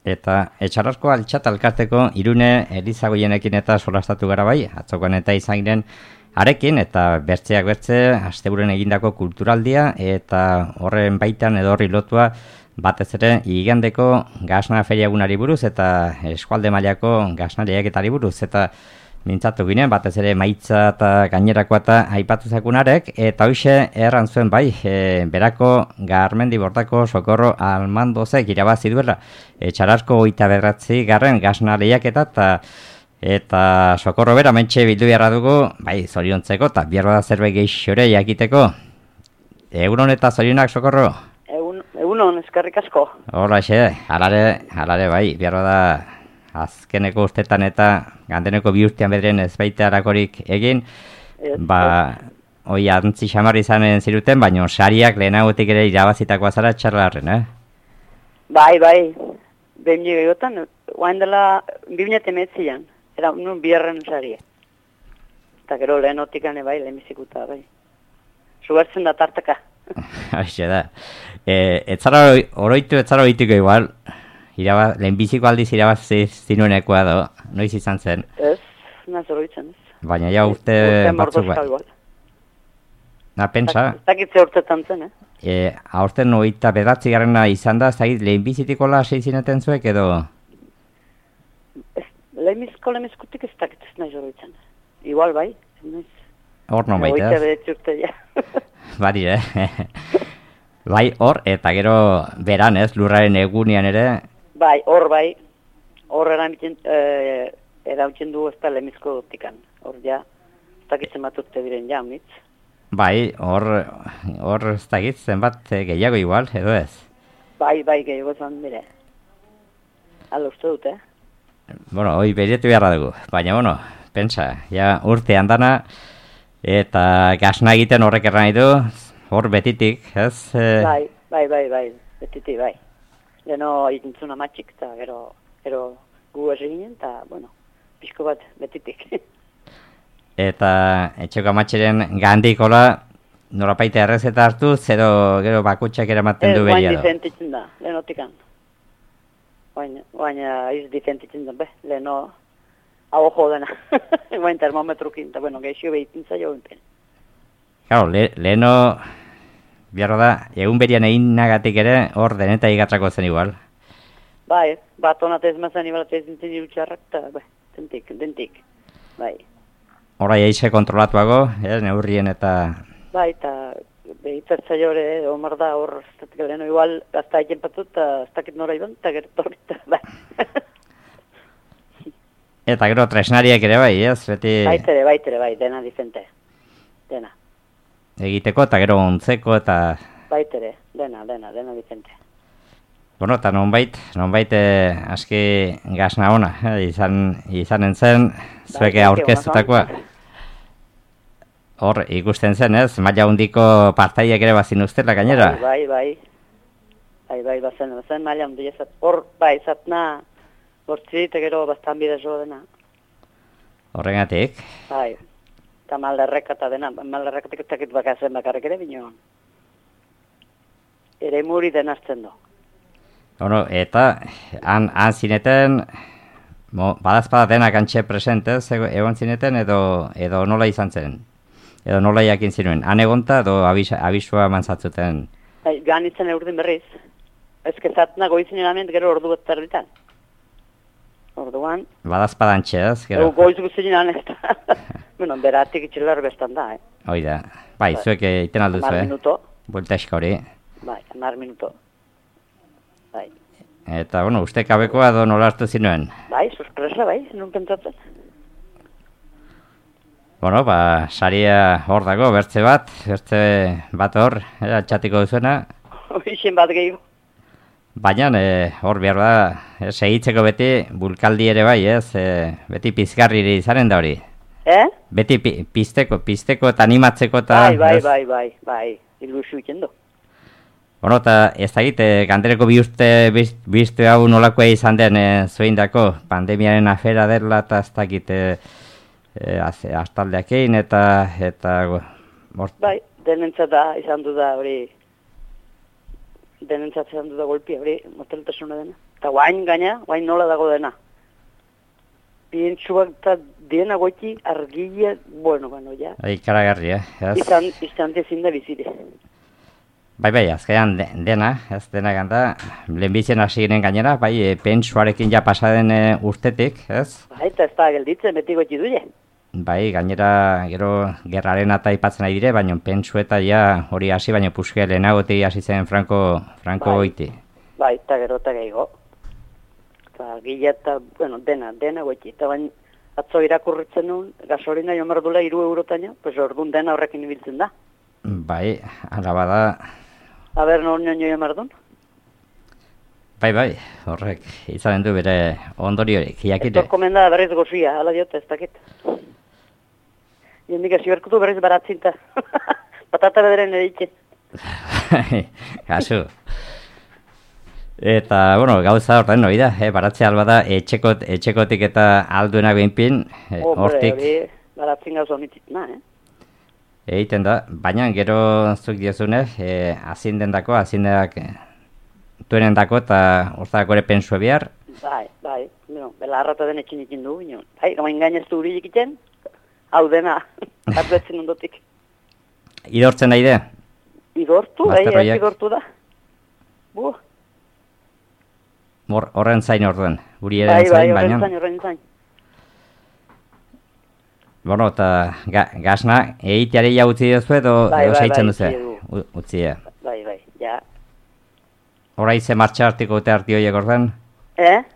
Eta etxarrasko altxat alkarteko Irune Elizagoienekin eta solastatu gara bai, atzokoan eta izan giren arekin, eta bertzeak bertze, asteburuan egindako kulturaldia, eta horren baitan edo horri lotua, batez ere, igandeko gasna feriagunari buruz, eta eskualde mailako gasna lehiaketari buruz, eta mintzatu ginen, batez ere maitza eta gainerakoa eta aipatu zakunarek, eta hoxe erran zuen bai, berako Garmendi Bortako Sokorro Almandozek irabazi duela, etxarrasko 29. gasna lehiaketa, eta Sokorro bera mentxe bildu beharra dugu, bai, zoriontzeko, eta behar bada zerbait geixore jakiteko. Egunon eta zorionak, Sokorro? Egunon, eskerrik asko. Hola, alare bai, behar bada azkeneko ustetan eta gandeneko bi urtean bederen ez baita harakorik egin, hoi antzi xamar izanen ziruten, baina sariak lehenagotik ere irabazitakoa zara txarlarren, Bai, behin egotan, guain dela 2019an, era un bierren saria. Eta gero lehenotik ane bai, lehenbizikuta bai. Zugertzen da tartaka. Haixe da. Etzara oroituko igual, lehenbiziko aldiz irabazi zinuenekoa do, noiz izan zen? Ez, naz oroitzen ez. Baina ja urte batzuk bai. Na, pensa? Ez dakitze urtetan zen, aurten 29. izan da, zait lehenbizitikola seizineten zuek edo? Lehenbizkutik ez dakitze nahi oroitzen. Igual bai, noiz. Hor non baita. Oita bedetzi urte ja. Bari, Bai, hor, eta gero beran ez, lurraren egunian ere. Bai, hor erautzen du ez da lehenbizko tikan. Hor ja, ez dakitzen bat urte diren ja, unitz. Bai, hor ez dakitzen bat gehiago igual, edo ez? Bai, gehiago zan dire. Hala uste dut, Bueno, hoi berietu beharra dugu, baina, pentsa, ja urte handana, eta gasna egiten horrek erran du, hor betitik, ez? Bai, betitik, bai. Leno ikintzun amatxik, eta gero gu ez eginen, eta, pixko bat betitik. Eta etxeko amatxeren gandikola, norapaite errezeta hartu, gero bakutxak eramaten du beria do? Guain difentitzen da, lehenotikan. Guain iz difentitzen da, leheno hau jo dena. Guain termometrukin, eta geixio behitintza jo enten. Claro, leheno, behar da, egun berian egin nagatik ere, hor deneta igatrako zen igual. Bai, bat honatez mazen ibalatez dintzen irutxarrak, eta, dentik, bai. Horai eixe kontrolatuago, neurrien eta... Bai, eta behitzatza jore, omar da hor, leheno igual, gazta egin patut, eta ez dakit nora iban, eta gertorri, eta, bai. Eta gero tresnariak ere bai, ez? Beti... Baitere, dena difente. Dena. Egiteko eta gero ontzeko eta... Baitere, dena difente. Bueno, eta nonbait aski gasna ona, izanen zen, zueke aurkeztutakoa. Hor, ikusten zen, ez? Maila hundiko partaiek ere bazin ustela gainera? Bai, bazen maila hundi ezat. Hor, bai, zatna, bortzi, eta gero bastan bidez jo dena. Horregatik? Bai, eta maldarrek eta dena, maldarrek eta takit bakazen bakarrik ere bino. Ere muri denazten do. Bueno, eta han zineten, badazpada denak antxe presentez, egon zineten edo nola izan zen? Edo nola jakin zinuen? Han egonta edo abisua mantzatzuten? Joan izan urdin berriz. Ez kezatna goizinen ament gero ordu bat terditan. Orduan... Badazpada antxe, ez? Goiz guztinen anet. Beratik itxilar bestan da, Oida. Bai, zuek iten alduzu, 10 minuto. Buelta eska hori. Bai, 10 minuto. Bai. Eta, uste kabekoa edo nola hartu zinuen? Bai, sorpresa, bai, nun pentsatzen. Saria hor dago, bertze bat hor, atxatiko duzuena. Hoixen bat gehiago. Baina, hor behar da, segitzeko beti bulkaldi ere bai, ez? Beti pizgarri izanen da hori. Beti pizteko eta animatzeko eta... Bai, ilusiu ikendu. Eta ez da egite, gandereko biztu hau nolakoa izan den zueindako, pandemiaren afera dela eta ez da egite astaldeak egin eta... Bai, denentzat da izan du da hori denentzatzen du da golpia, hori moteltasuna dena. Eta guain gaina, guain nola dago dena. Bientsuak eta dena goiti argila, bueno, ja. Ikaragarri, Izan dezin da bizire. Bai, azkenean dena, ez dena ganda, lehenbizien hasi ginen gainera, bai, pentsuarekin ja pasaden urtetik, ez? Bai, eta ez da gelditzen, beti goiti duile. Bai, gainera, gero, gerraren eta ipatzen nahi dire, baina pentsu eta ja hori hasi, baina puske lehenagotik hasi zen Franco goiti. Bai, eta gero eta gehiago. Eta gila eta, bueno, dena goiti. Eta baina atzo irakurritzen nuen, gasolina jo merdula 3 eurotaino, pues orduan dena horrekin ibiltzen da. Bai, ala bada... Aber, nor jo merdun? Bai, horrek, izanen du bere ondoriorik, jakite. Etor komenda berriz gozia, ala diota, ez dakit. Jendik hasi berkutu berriz baratzinta. Patata bederen editzen. Kasu. Eta, bueno, gauza horren hori da, baratzea alba da, etxekotik eta alduenak behinpin, hortik... Hori, baratzen gauza honititna, Egiten da, baina gero zuk diozune, azindenak duenendako eta hortako ere pensue behar. Bai, bela harrata den etxin ikin du, bai, gamain gaineztu huri ikiten, hau dena, atuetzen ondotik. Idortzen nahi de? Idortu, idortu da. Horren zain orduen, guri eren zain, baina... Bai, horren zain. Bueno, eta gazna, egiteari ja utzi duzu edo saitzen duzu? Utzi, Bai, ja. Horai ze martxa hartiko dute arti horiek orden?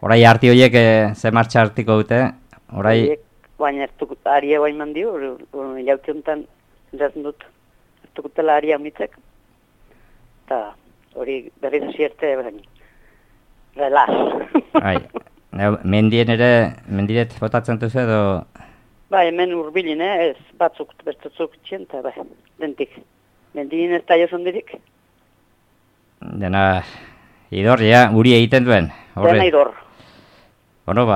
Horai arti horiek ze martxa hartiko dute? Baina aria guain mandio, jauti honetan entzazten dut, hartukutela aria mitzek. Eta hori berriz asierte, relaz. Mendiret botatzen duzu edo... Bai, hemen urbilin, ez batzuk, bertatzuk txien, eta bai, dentik. Mendien ez da jozon dirik. Dena, idor, guri egiten duen. Dena idor. Bueno,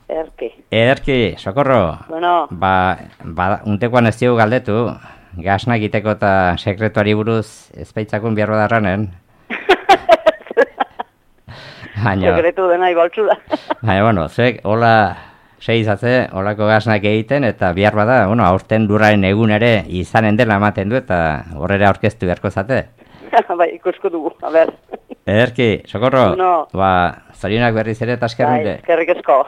Ederki, sokorro. Bueno. Untekoan ez dugu galdetu, gazna egiteko eta sekretuari buruz ezpeitzakun behar badarranen. Sekretu dena ibaltzu da. Baina, bueno, zuek, hola... Seizatze, holako gaznak egiten, eta bihar bada, aurten lurraren egun ere izanen dela ematen du, eta horrera aurkeztu beharko zate. Bai, ikusko dugu, a ber. Ederki, sokorro, zorionak berriz ere eta eskerrik. Bai, eskerrik esko.